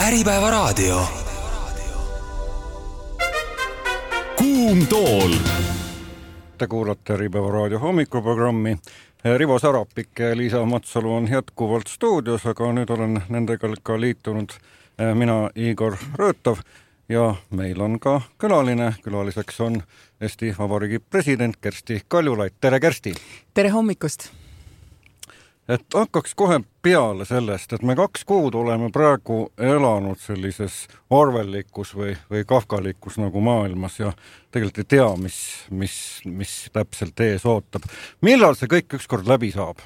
Äripäevaraadio. Kuum tool. Te kuulate Äripäevaraadio hommikuprogrammi. Rivo Sarapik ja Liisa Matsalu on jätkuvalt stuudios, aga nüüd olen nendega ka liitunud mina, Igor Röötov, ja meil on ka külaline. Külaliseks on Eesti Vabariigi president Kersti Kaljulaid. Tere, Kersti! Tere hommikust! Et hakkaks kohe peale sellest, et me 2 kuud oleme praegu elanud sellises arvellikus või kafkalikus nagu maailmas ja tegelikult ei tea, mis täpselt ees ootab. Millal see kõik ükskord läbi saab?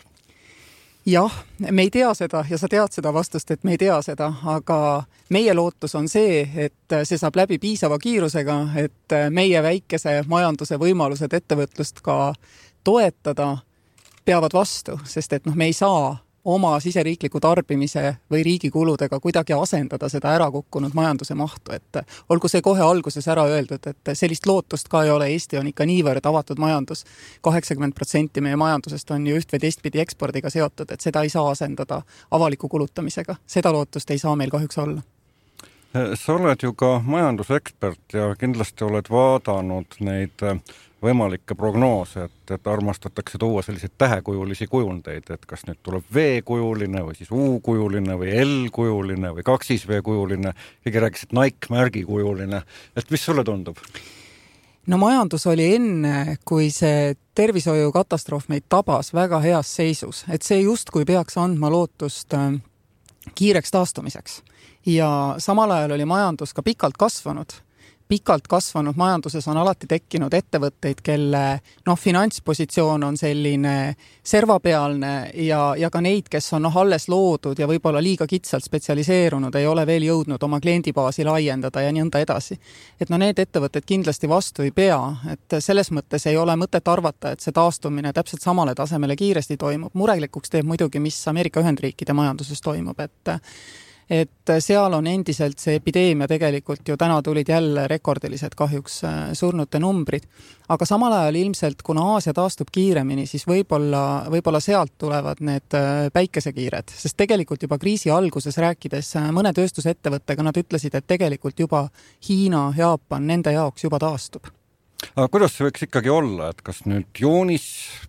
Jah, me ei tea seda ja sa tead seda vastust, et me ei tea seda, aga meie lootus on see, et see saab läbi piisava kiirusega, et meie väikese majanduse võimalused ettevõtlust ka toetada peavad vastu, sest et me ei saa oma siseriikliku tarbimise või riigi kuludega kuidagi asendada seda ära kukkunud majanduse mahtu, et olgu see kohe alguses ära öeldud, et sellist lootust ka ei ole. Eesti on ikka niivõrd avatud majandus. 80% meie majandusest on ju üht või teistpidi ekspordiga seotud, et seda ei saa asendada avaliku kulutamisega. Seda lootust ei saa meil kahjuks olla. Sa oled ju ka majandusekspert ja kindlasti oled vaadanud neid võimalikke prognoose, et armastatakse tuua selliseid tähekujulisi kujundeid, et kas nüüd tuleb V-kujuline või siis U-kujuline või L-kujuline või 2V-kujuline, keegi rääkis, et Nike-märgi kujuline, et mis sulle tundub? No majandus oli enne, kui see tervishoiukatastroof meid tabas väga heas seisus, et see justkui peaks andma lootust kiireks taastumiseks. Ja samal ajal oli majandus ka pikalt kasvanud majanduses on alati tekkinud ettevõtteid, kelle finantspositsioon on selline servapealne ja ka neid, kes on alles loodud ja võib-olla liiga kitsalt spetsialiseerunud, ei ole veel jõudnud oma kliendibaasi laiendada ja nõnda edasi. Et need ettevõtted kindlasti vastu ei pea, et selles mõttes ei ole mõtet arvata, et see taastumine täpselt samale tasemele kiiresti toimub. Murelikuks teeb muidugi, mis Ameerika Ühendriikide majanduses toimub, et seal on endiselt see epideemia tegelikult ju täna tulid jälle rekordilised kahjuks surnute numbrid, aga samal ajal ilmselt, kuna Aasia taastub kiiremini, siis võib-olla sealt tulevad need päikesekiired, sest tegelikult juba kriisi alguses rääkides mõne tööstusettevõttega nad ütlesid, et tegelikult juba Hiina, Jaapan nende jaoks juba taastub. Aga kuidas see võiks ikkagi olla, et kas nüüd juunis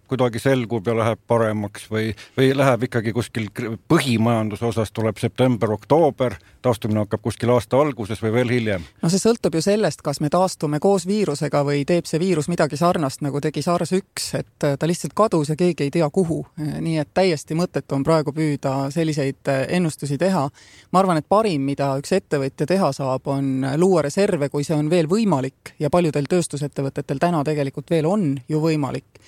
kuidagi selgub ja läheb paremaks või läheb ikkagi kuskil põhimajanduse osas tuleb september, oktoober, taastumine hakkab kuskil aasta alguses või veel hiljem? No see sõltub ju sellest, kas me taastume koos viirusega või teeb see viirus midagi sarnast, nagu tegi SARS-1, et ta lihtsalt kadus ja keegi ei tea kuhu. Nii et täiesti mõttetu on praegu püüda selliseid ennustusi teha. Ma arvan, et parim, mida üks ettevõtja teha saab, on luua reserve, kui see on veel võimalik ja paljudel tööstusettevõtetel täna tegelikult veel on ju võimalik.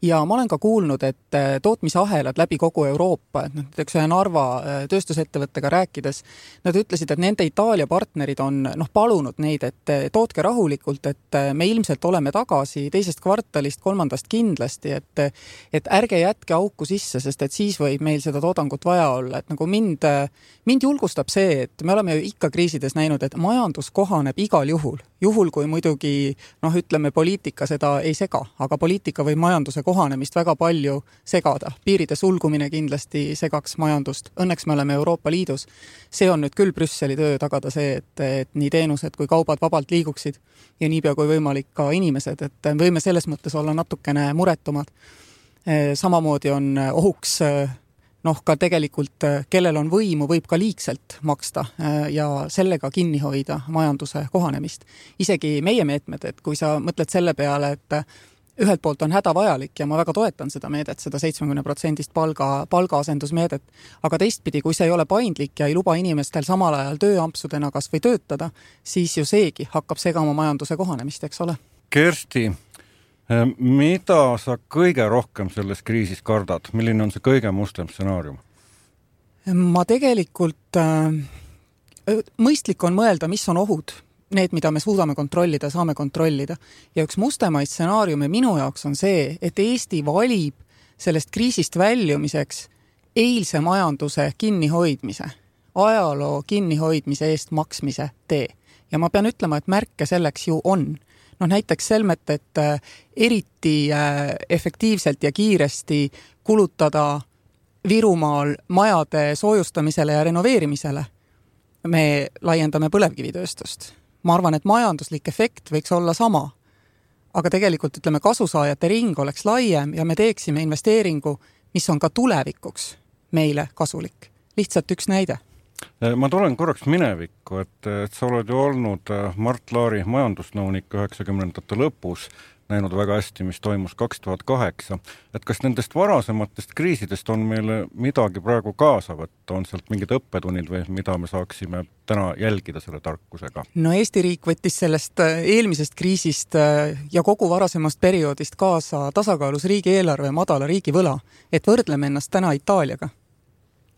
Ja ma olen ka kuulnud, et tootmisahelad läbi kogu Euroopa, et näiteks ühe Narva tööstusettevõttega rääkides, nad ütlesid, et nende Itaalia partnerid on palunud neid, et tootke rahulikult, et me ilmselt oleme tagasi 2. kvartalist, 3. kindlasti, et ärge jätke auku sisse, sest et siis võib meil seda toodangut vaja olla. Et nagu mind julgustab see, et me oleme ju ikka kriisides näinud, et majandus kohaneb igal juhul kui muidugi, ütleme, poliitika seda ei sega, aga poliitika või majanduse kohanemist väga palju segada. Piiride sulgumine kindlasti segaks majandust. Õnneks me oleme Euroopa Liidus. See on nüüd küll Brüsseli töö tagada see, et nii teenused kui kaubad vabalt liiguksid ja niipea kui võimalik ka inimesed, et võime selles mõttes olla natukene muretumad. Samamoodi on ohuks ka tegelikult, kellel on võimu, võib ka liigselt maksta ja sellega kinni hoida majanduse kohanemist. Isegi meie meetmed, et kui sa mõtled selle peale, et ühelt poolt on hädavajalik ja ma väga toetan seda meedet, seda 70% palgaasendusmeedet, aga teistpidi, kui see ei ole paindlik ja ei luba inimestel samal ajal tööampsudena kas või töötada, siis ju seegi hakkab segama majanduse kohanemist, eks ole. Kersti, mida sa kõige rohkem selles kriisis kardad? Milline on see kõige mustem stsenaarium? Ma tegelikult mõistlik on mõelda, mis on ohud. Need, mida me suudame kontrollida, saame kontrollida. Ja üks mustemaid stsenaariume minu jaoks on see, et Eesti valib sellest kriisist väljumiseks eilse majanduse kinnihoidmise, ajaloo kinnihoidmise eest maksmise tee. Ja ma pean ütlema, et märke selleks ju on. Näiteks selmet, et eriti efektiivselt ja kiiresti kulutada Virumaal majade soojustamisele ja renoveerimisele me laiendame põlevkivitööstust. Ma arvan, et majanduslik efekt võiks olla sama, aga tegelikult ütleme, kasusaajate ring oleks laiem ja me teeksime investeeringu, mis on ka tulevikuks meile kasulik. Lihtsalt üks näide. Ma tulen korraks minevikku, et sa oled ju olnud Mart Laari majandusnõunik 90ndate lõpus, näinud väga hästi, mis toimus 2008. Et kas nendest varasematest kriisidest on meile midagi praegu kaasa võtta? On sealt mingid õppetunnid või mida me saaksime täna jälgida selle tarkusega? No Eesti riik võttis sellest eelmisest kriisist ja kogu varasemast perioodist kaasa tasakaalus riigieelarve madala riigivõla, et võrdleme ennast täna Itaaliaga.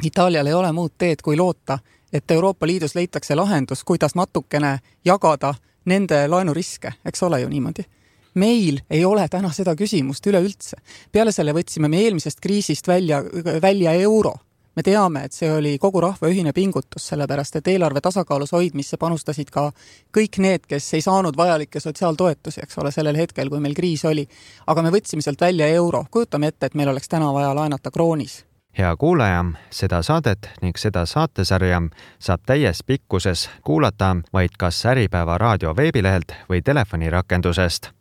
Itaalial ei ole muud teed kui loota, et Euroopa Liidus leitakse lahendus, kuidas natukene jagada nende laenuriske, eks ole ju niimoodi. Meil ei ole täna seda küsimust üleüldse. Peale selle võtsime me eelmisest kriisist välja euro. Me teame, et see oli kogu rahva ühine pingutus, sellepärast et eelarve tasakaalus hoidmisse panustasid ka kõik need, kes ei saanud vajalikke sotsiaaltoetusi, eks ole, sellel hetkel, kui meil kriis oli. Aga me võtsime sealt välja euro. Kujutame ette, et meil oleks täna vaja laenata kroonis. Hea kuulaja, seda saadet ning seda saatesarja saab täies pikkuses kuulata vaid kas Äripäeva raadio veebilehelt või telefonirakendusest.